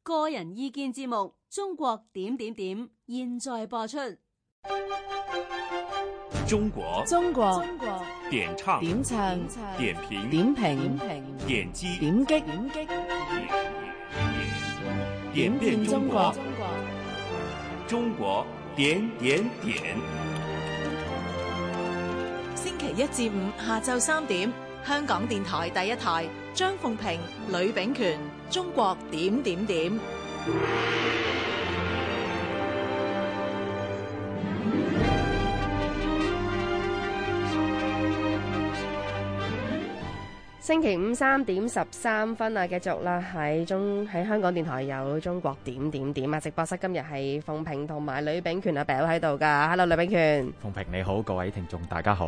個人意見節目《中國點點點》現在播出。中國點唱點評點擊點變中國中國點點點。星期一至五下晝3點，香港電台第一台，張鳳平、呂秉權，中國點點點。星期五3點13分啊，繼續啦，喺香港電台有中國點點點啊！直播室今日係鳳平同埋呂秉權阿 Bill 喺度噶。Hello， 呂秉權。鳳平你好，各位聽眾大家好。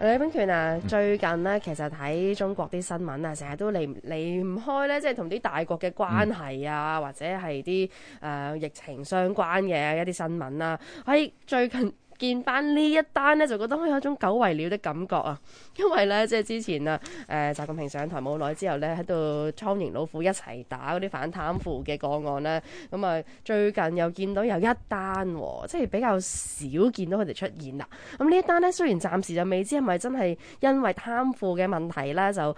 呂秉權啊，最近呢，其實睇中國啲新聞啊，成日都離唔開咧，即係同啲大國嘅關係啊，或者係啲疫情相關嘅一啲新聞啦。喺最近見翻呢一單呢，就覺得有一種久違了的感覺啊！因為呢，即係之前啊，習近平上台冇耐之後呢，喺度蒼蠅老虎一齊打嗰啲反貪腐嘅個案呢。咁啊最近又見到有一單，即係比較少見到佢哋出現啦。咁呢一單呢，雖然暫時就未知係咪真係因為貪腐嘅問題呢，就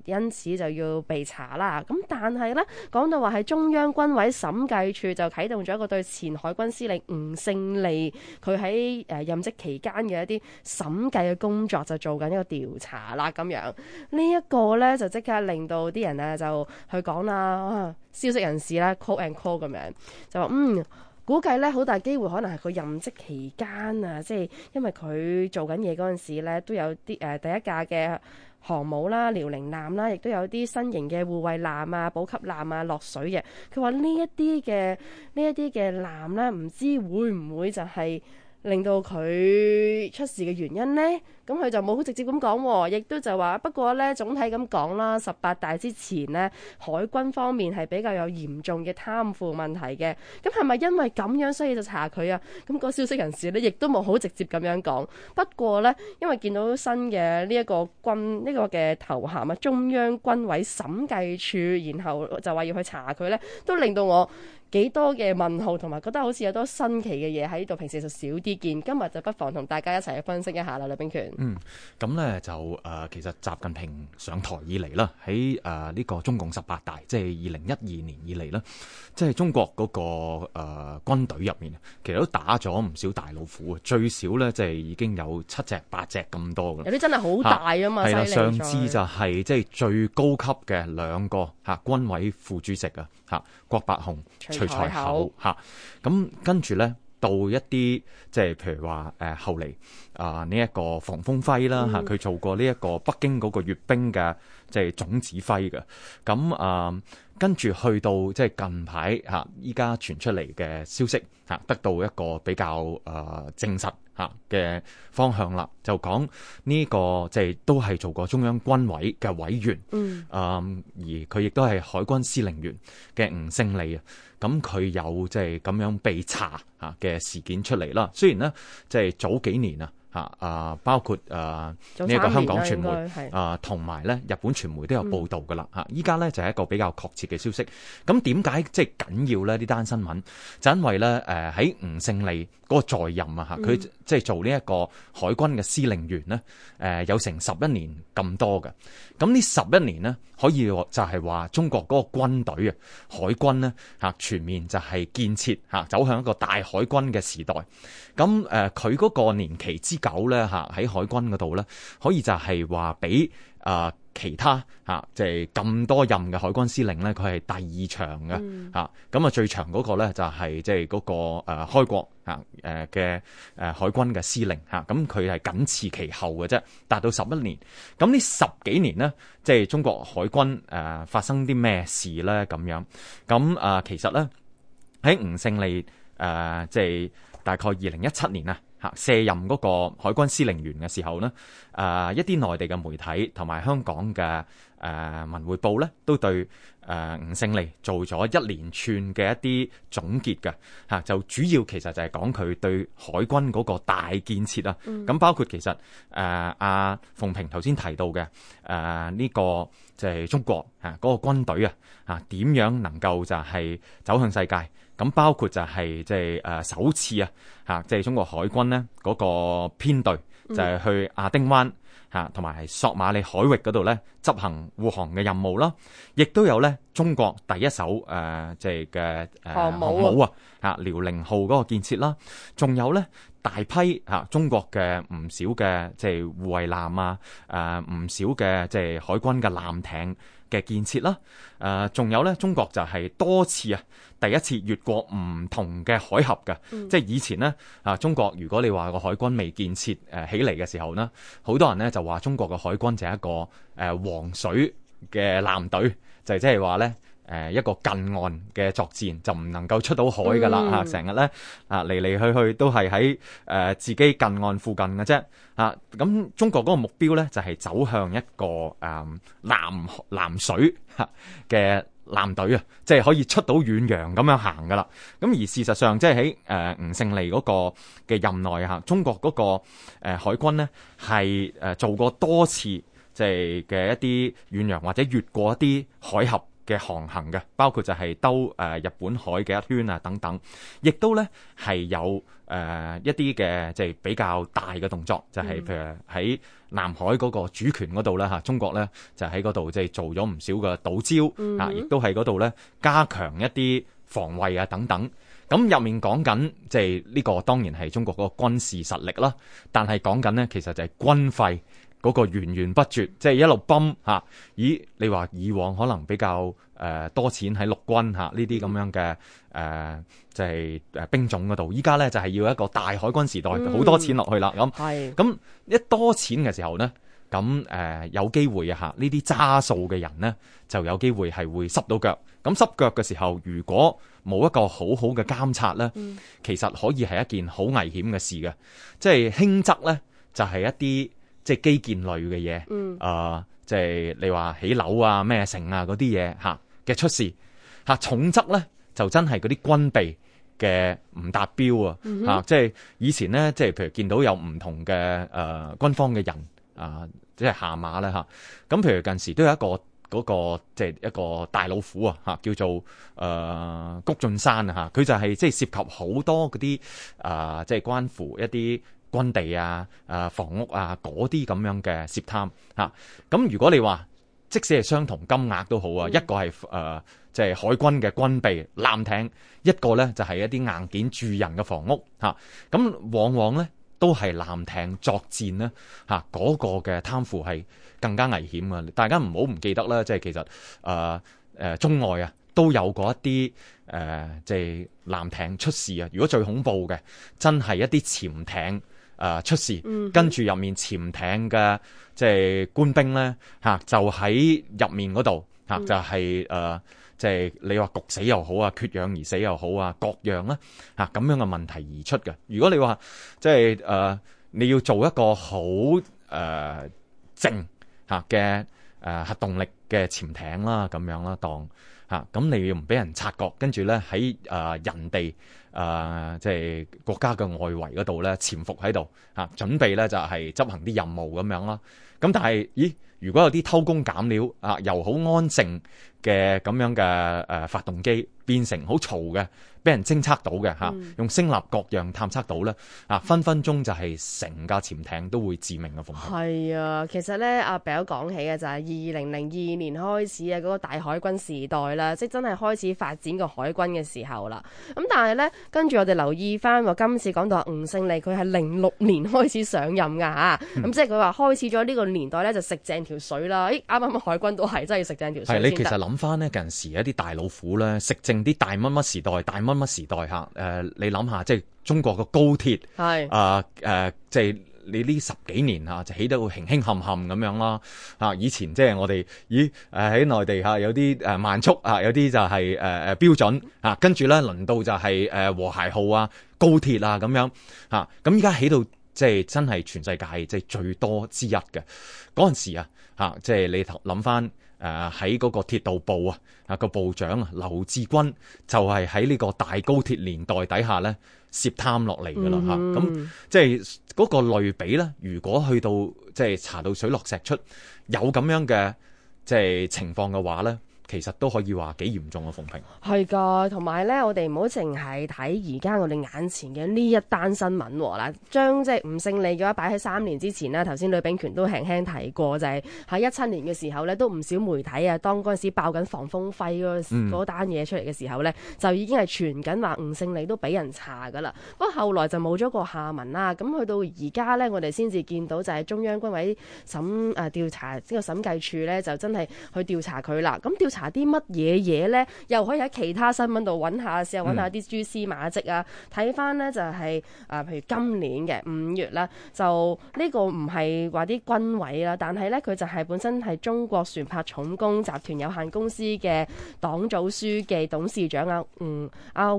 因此就要被查啦。咁但係呢，講到話係中央軍委審計處就啟動咗一個對前海軍司令吳勝利佢喺任職期間嘅一啲審計嘅工作就做緊一個調查啦，咁樣呢一個呢，就即刻令到啲人就去講啦，消息人士啦 call and call 咁樣就話估計呢好大機會可能係佢任職期間啊，即係因為佢做緊嘢嗰陣時呢都有啲第一架嘅航母啦、遼寧艦啦，亦都有啲新型嘅護衛艦啊、補給艦啊落水嘅。佢話呢一啲嘅艦呢，唔知會唔會就係令到佢出事嘅原因呢？咁佢就冇好直接咁講，亦都就話不過呢，總體咁講啦，18大之前呢，海軍方面係比較有嚴重嘅貪腐問題嘅。咁係咪因為咁樣所以就查佢啊？咁個消息人士呢，亦都冇好直接咁樣講。不過呢，因為見到新嘅呢一個嘅頭銜啊，中央軍委審計處，然後就話要去查佢呢，都令到我幾多嘅問號，同埋覺得好似有多新奇嘅嘢喺度，平時就少啲見。今日就不妨同大家一齊去分析一下啦，呂秉權。咁呢就其實習近平上台以嚟啦，喺呢個中共18大，即係2012年以嚟啦，即係中國嗰個軍隊入面，其實都打咗唔少大老虎，最少呢，即係已經有7隻8隻咁多㗎。有啲真係好大啊嘛，係啦，上次次就係即係最高級嘅2個軍委副主席郭伯雄、徐才厚咁跟住呢，到一啲即係譬如話後嚟呢一個房峰輝啦佢做過呢一個北京嗰個閱兵嘅即係總指揮嘅。咁跟住去到即係近排依家傳出嚟嘅消息得到一個比較證實嘅方向啦，就講呢個即係都係做過中央軍委嘅委員，而佢亦都係海軍司令員嘅吳勝利啊。咁佢有即係咁樣被查嘅事件出嚟啦。雖然呢，即係早幾年包括呢一個香港傳媒同埋咧日本傳媒都有報導噶啦依家咧就係一個比較確切嘅消息。咁點解即係緊要咧？呢單新聞就因為咧喺吳勝利嗰個在任佢即係做呢一個海軍嘅司令員呢，有成11年咁多嘅。咁呢11年呢，可以就係話中國嗰個軍隊海軍呢全面就係建設走向一個大海軍嘅時代。咁佢嗰個年期之久咧喺海軍嗰度咧，可以就係話比其他即係咁多任嘅海軍司令咧，佢係第2長嘅咁最長嗰個咧就係即係嗰個開國嘅海軍嘅司令咁佢係僅次其後嘅啫，達到11年。咁呢10幾年呢，即係中國海軍發生啲咩事咧？咁樣咁其實咧喺吳勝利即係大概2017年卸任嗰個海軍司令員嘅時候呢，一啲內地嘅媒體同埋香港嘅文匯報咧，都對吳勝利做咗一連串嘅一啲總結嘅就主要其實就係講佢對海軍嗰個大建設啊。咁包括其實阿鳳萍頭先提到嘅呢個就係中國嗰個軍隊點樣能夠就係走向世界。咁包括就係即係首次即係中國海軍呢嗰個編隊就係去亞丁灣同埋索馬里海域嗰度咧執行護航嘅任務啦，亦都有咧中國第一艘即係嘅航母遼寧號嗰個建設啦，仲有咧大批中國嘅唔少嘅即係護衛艦唔少嘅即係海軍嘅艦艇嘅建設啦，仲有咧中國就係多次第一次越過唔同嘅海峽嘅，即係以前呢中國如果你話個海軍未建設起嚟嘅時候呢，好多人呢就話中國嘅海軍就係一個黃水嘅艦隊，就係即係話咧一個近岸嘅作戰就唔能夠出到海噶啦成日咧嚟嚟去去都係喺自己近岸附近嘅啫咁中國嗰個目標咧就係走向一個南水嘅艦隊即係可以出到遠洋咁樣行噶啦。咁而事實上即係喺吳勝利嗰個嘅任內中國嗰個海軍呢係做過多次即係嘅一啲遠洋或者越過一啲海峽嘅航行嘅，包括就係兜日本海嘅一圈等等，亦都咧係有一啲嘅即係比較大嘅動作，就係譬如喺南海嗰個主權嗰度咧中國咧就喺嗰度即係做咗唔少嘅島礁亦都喺嗰度咧加強一啲防衛等等。咁入面講緊即係呢個當然係中國嗰個軍事實力啦，但係講緊呢其實就係軍費嗰個源源不絕，即係一路泵咦？你話以往可能比較多錢喺陸軍呢啲咁樣嘅即係兵種嗰度，依家咧就係要一個大海軍時代，好多錢落去啦。咁一多錢嘅時候呢，咁有機會呢啲揸數嘅人呢，就有機會係會濕到腳。咁濕腳嘅時候，如果冇一個好好嘅監察呢，其實可以係一件好危險嘅事嘅。即係輕則呢，就係一啲即係基建類嘅嘢，即係你話起樓咩城嗰啲嘢嘅出事，重則咧就真係嗰啲軍備嘅唔達標即係以前咧，即係譬如見到有唔同嘅軍方嘅人即係下馬咧咁譬如近時都有一個嗰個即係一個大老虎叫做谷俊山佢就係即係涉及好多嗰啲即係關乎一啲軍地房屋嗰啲咁樣嘅涉貪咁如果你話即使係相同金額都好一個係即係海軍嘅軍備艦艇，一個咧就係一啲硬件住人嘅房屋咁往往咧都係艦艇作戰咧嗰個嘅貪腐係更加危險啊！大家唔好唔記得啦，即係其實中外都有過一啲即係艦艇出事如果最恐怖嘅真係一啲潛艇出事，跟住入面潛艇嘅即係官兵咧就喺入面嗰度就係即係你話焗死又好缺氧而死又好各樣啦咁樣嘅問題而出嘅。如果你話即係你要做一個好靜嘅核動力嘅潛艇啦咁樣啦當咁你要唔俾人察覺，跟住咧喺人哋即係國家嘅外圍嗰度咧潛伏喺度準備咧就係執行啲任務咁樣啦。咁但係如果有啲偷工減料由好安靜嘅咁樣嘅發動機變成好嘈嘅，俾人偵測到嘅用聲納各樣探測到咧分分鐘就係成架潛艇都會致命嘅風險。係啊，其實咧阿表講起嘅就係2002年開始嗰個大海軍時代啦，即係真係開始發展個海軍嘅時候啦。咁但係咧跟住我哋留意翻今次講到吳勝利佢係06年開始上任㗎咁即係佢話開始咗呢個年代咧就食正條水啦。啱啱海軍都係真係食正條水先得。係你其實諗翻呢近時一啲大老虎咧食正啲大乜乜時代大乜乜時代你諗下即係中國個高鐵係即係你呢10幾年就起得會輕輕冚冚咁樣啦。以前即係我哋喺內地有啲慢速有啲就係標準跟住咧輪到就係和諧號高鐵咁樣咁依家起到即係真係全世界即係最多之一嘅嗰陣時即係你諗翻喺嗰個鐵道部個部長劉志軍就係喺呢個大高鐵年代底下咧涉貪落嚟㗎啦咁即係嗰個類比咧，如果去到即係查到水落石出有咁樣嘅即係情況嘅話咧，其實都可以話幾嚴重嘅，馮平。係㗎，同埋咧，我哋唔好淨係睇而家我哋眼前嘅呢一單新聞嗱，將即係吳勝利嘅話擺喺3年之前啦。頭先呂秉權都輕輕提過，就係喺17年嘅時候咧，都唔少媒體當嗰陣時爆緊防風輝嗰單嘢出嚟嘅時候咧，就已經係傳緊話吳勝利都俾人查㗎啦。不過後來就冇咗個下文啦。咁去到而家咧，我哋先至見到就係中央軍委調查呢個審計處咧，就真係去調查佢啦。咁調查啲乜嘢嘢咧？又可以喺其他新聞度揾下，試下揾下啲蛛絲馬跡啊！睇翻咧就係譬如今年嘅5月啦，就呢個唔係話啲軍委啦，但係咧佢就係本身係中國船舶重工集團有限公司嘅黨組書記、董事長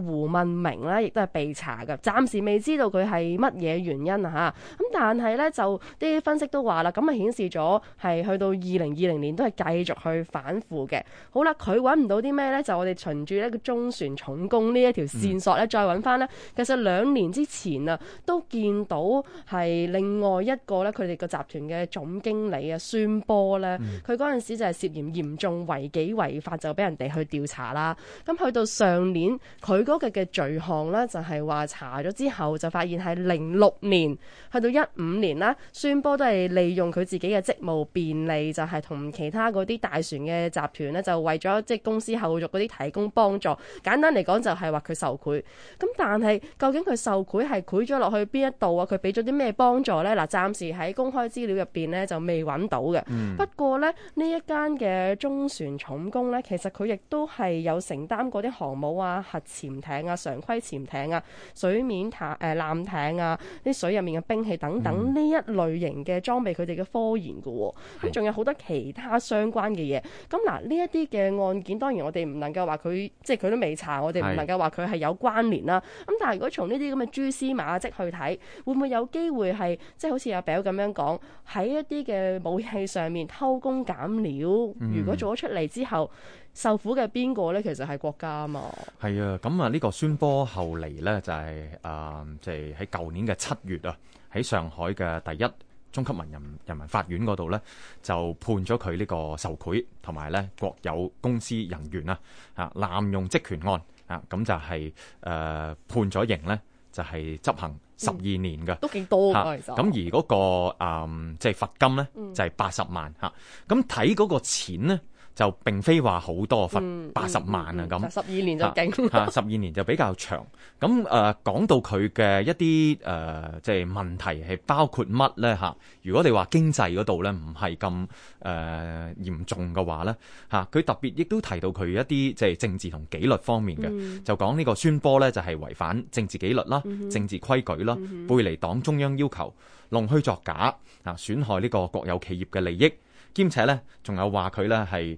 胡文明啦，亦都係被查嘅。暫時未知道佢係乜嘢原因咁但係咧就啲分析都話啦，咁啊顯示咗係去到2020年都係繼續去反腐嘅。好啦。佢揾唔到啲咩咧？就我哋循住呢個中船重工呢一條線索咧，再揾翻咧。其實2年之前都見到係另外一個咧，佢哋個集團嘅總經理孫波咧，佢嗰陣時就係涉嫌嚴重違紀違法，就俾人哋去調查啦。咁去到上年，佢嗰個嘅罪項咧，就係話查咗之後就發現係06年去到15年啦，孫波都係利用佢自己嘅職務便利，就係同其他嗰啲大船嘅集團咧，就為咗即係公司後續嗰啲提供幫助，簡單嚟講就係話佢受賄。咁但係究竟佢受賄係賄咗落去邊一度佢俾咗啲咩幫助呢？嗱，暫時喺公開資料入邊呢就未揾到嘅。不過呢，呢一間嘅中船重工呢，其實佢亦都係有承擔過啲航母核潛艇常規潛艇水面艦艇啲水入面嘅兵器等等呢一類型嘅裝備，佢哋嘅科研嘅喎。咁仲有好多其他相關嘅嘢。咁嗱，呢一啲嘅案件，當然我哋唔能夠話佢，即係佢都未查，我哋唔能夠話佢係有關聯啦。咁但係如果從呢啲咁嘅蛛絲馬跡去睇，會唔會有機會係即係好似阿表咁樣講，喺一啲嘅武器上面偷工減料？如果做咗出嚟之後，受苦嘅邊個呢？其實係國家啊嘛。係啊，咁呢個孫波後嚟呢，就係即係喺舊年嘅7月喺上海嘅第一中級人民法院嗰度呢，就判咗佢呢個受賄同埋呢國有公司人員濫用職權案咁就係判咗刑呢，就係執行12年嘅，都幾多㗎其實。咁而嗰個即係罰金呢，就係80萬咁睇嗰個錢呢，就並非話好多，罰80萬咁。12年就勁12年就比較長。咁講到佢嘅一啲即係問題係包括乜咧如果你話經濟嗰度咧唔係咁嚴重嘅話咧佢特別亦都提到佢一啲即係政治同紀律方面嘅，就講呢個孫波咧就係違反政治紀律啦、政治規矩啦、背離黨中央要求、弄虛作假損害呢個國有企業嘅利益。兼且咧，仲有話佢咧係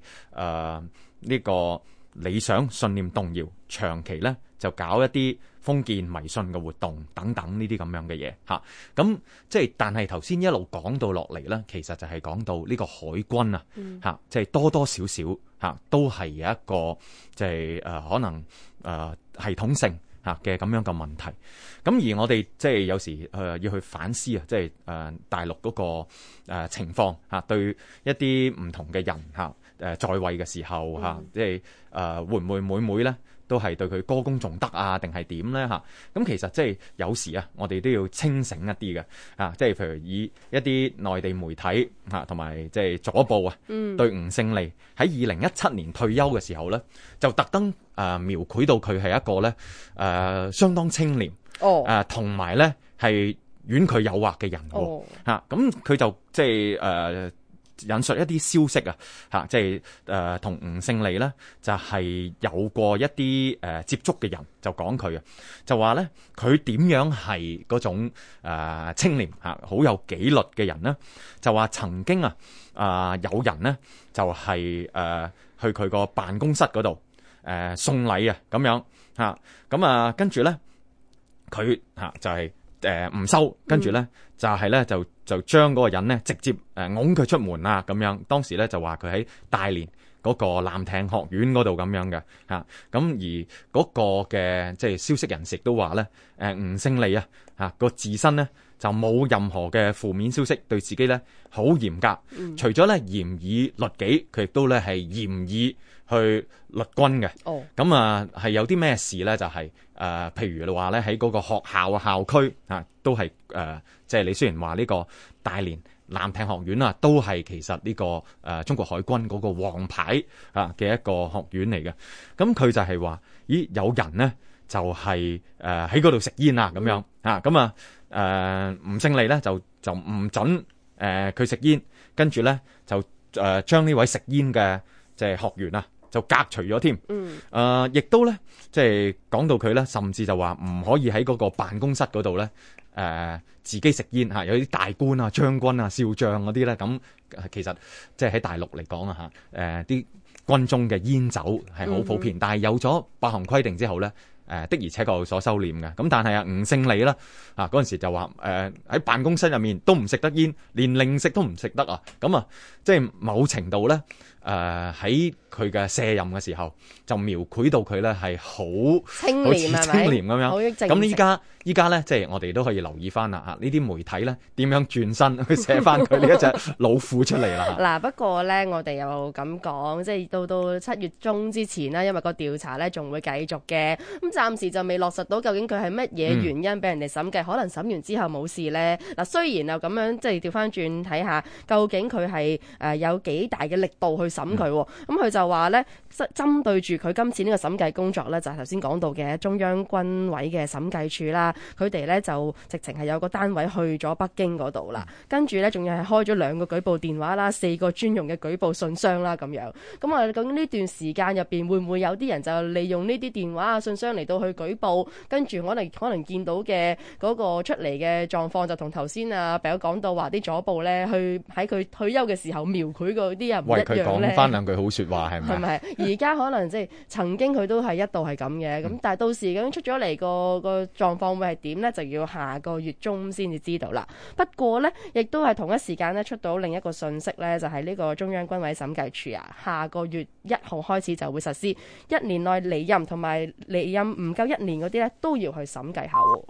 呢個理想信念動搖，長期咧就搞一啲封建迷信嘅活動等等呢啲咁樣嘅嘢咁即係，但係頭先一路講到落嚟咧，其實就係講到呢個海軍即係多多少少都係有一個即係可能系統性嘅咁樣嘅問題。咁而我哋即係有時要去反思即係大陸嗰個情況對一啲唔同嘅人在位嘅時候即係會唔會每咧都係對佢歌功頌德定係點咧咁其實即係有時我哋都要清醒一啲嘅即係譬如以一啲內地媒體同埋即係左報對吳勝利喺2017年退休嘅時候咧，就特登描繪到佢係一個咧相當清廉同埋咧係婉拒誘惑嘅人咁佢就即係引述一啲消息啊，即係同吳勝利咧就係有過一啲接觸嘅人就講佢啊，就話咧佢點樣係嗰種清廉好有紀律嘅人呢？就話曾經有人呢就係去佢個辦公室嗰度送禮咁樣咁跟住咧佢就係唔收，跟住咧就係咧就將嗰個人咧直接拱佢出門啦咁樣。當時咧就話佢喺大連嗰個艦艇學院嗰度咁樣嘅咁而嗰個嘅即係消息人士都話咧吳勝利個自身咧就冇任何嘅負面消息，對自己咧好嚴格，除咗咧嚴以律己，佢亦都咧係嚴以去律軍嘅。咁係有啲咩事咧？就係譬如話咧喺嗰個學校校區都係即係你雖然話呢個大連艦艇學院都係其實呢個中國海軍嗰個王牌嘅一個學院嚟嘅。咁佢就係話，咦有人咧就係喺嗰度食煙咁樣吳勝利咧就唔準佢食煙，跟住咧就將呢位食煙嘅即係學員就革除咗添。亦都咧即係講到佢咧，甚至就話唔可以喺嗰個辦公室嗰度咧自己食煙有啲大官將軍少將嗰啲咧，咁其實即係喺大陸嚟講啲軍中嘅煙酒係好普遍，但係有咗8項規定之後咧。的而且確有所收斂嘅，咁但係吳勝利啦，嗰陣時就話喺辦公室入面都唔食得煙，連零食都唔食得咁即係某程度咧喺佢嘅卸任嘅時候就描繪到佢咧係好清廉咁樣。咁依家咧即係我哋都可以留意翻啦呢啲媒體咧點樣轉身去寫翻佢呢一隻老虎出嚟啦。嗱不過咧我哋又咁講，即係到7月中之前啦，因為個調查咧仲會繼續嘅，咁暫時就未落實到究竟佢係乜嘢原因俾人哋審計，可能審完之後冇事咧。嗱雖然又咁樣即係調翻轉睇下，究竟佢係有幾大嘅力度去審佢，咁佢就話咧針對住佢今次呢個審計工作咧，就係頭先講到嘅中央軍委嘅審計處啦，佢哋咧就直情係有個單位去咗北京嗰度啦，跟住咧仲要係開咗2個舉報電話啦，4個專用嘅舉報信箱啦咁樣。咁究竟呢段時間入邊會唔會有啲人就利用呢啲電話信箱嚟到去舉報，跟住可能見到嘅嗰個出嚟嘅狀況就同頭先比友講到話啲左報咧去喺佢退休嘅時候描繪嗰啲人唔一樣咧。為佢講翻2句好說話係咪？係咪？而家可能即係曾經佢都係一度係咁嘅，咁但係到時究竟出咗嚟個狀況會係點呢？就要下個月中先至知道啦。不過呢，亦都係同一時間呢出到另一個信息呢，就係呢個中央軍委審計處下個月1號開始就會實施，1年內離任同埋離任唔夠1年嗰啲呢都要去審計下喎。